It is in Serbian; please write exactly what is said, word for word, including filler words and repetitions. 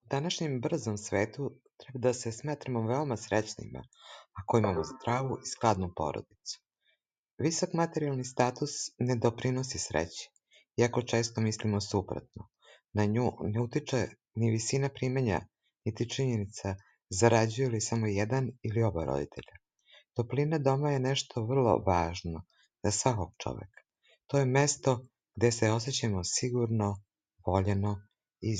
današnjem brzom svetu treba da se smatramo veoma srećnima ako imamo zdravu i skladnu porodicu. Visok materijalni status ne doprinosi sreći, iako često mislimo suprotno. Na nju ne utiče ni visina primanja, niti činjenica zarađuju li samo jedan ili oba roditelja. Toplina doma je nešto vrlo važno za svakog čoveka. To je mesto gde se osjećamo sigurno, voljeno i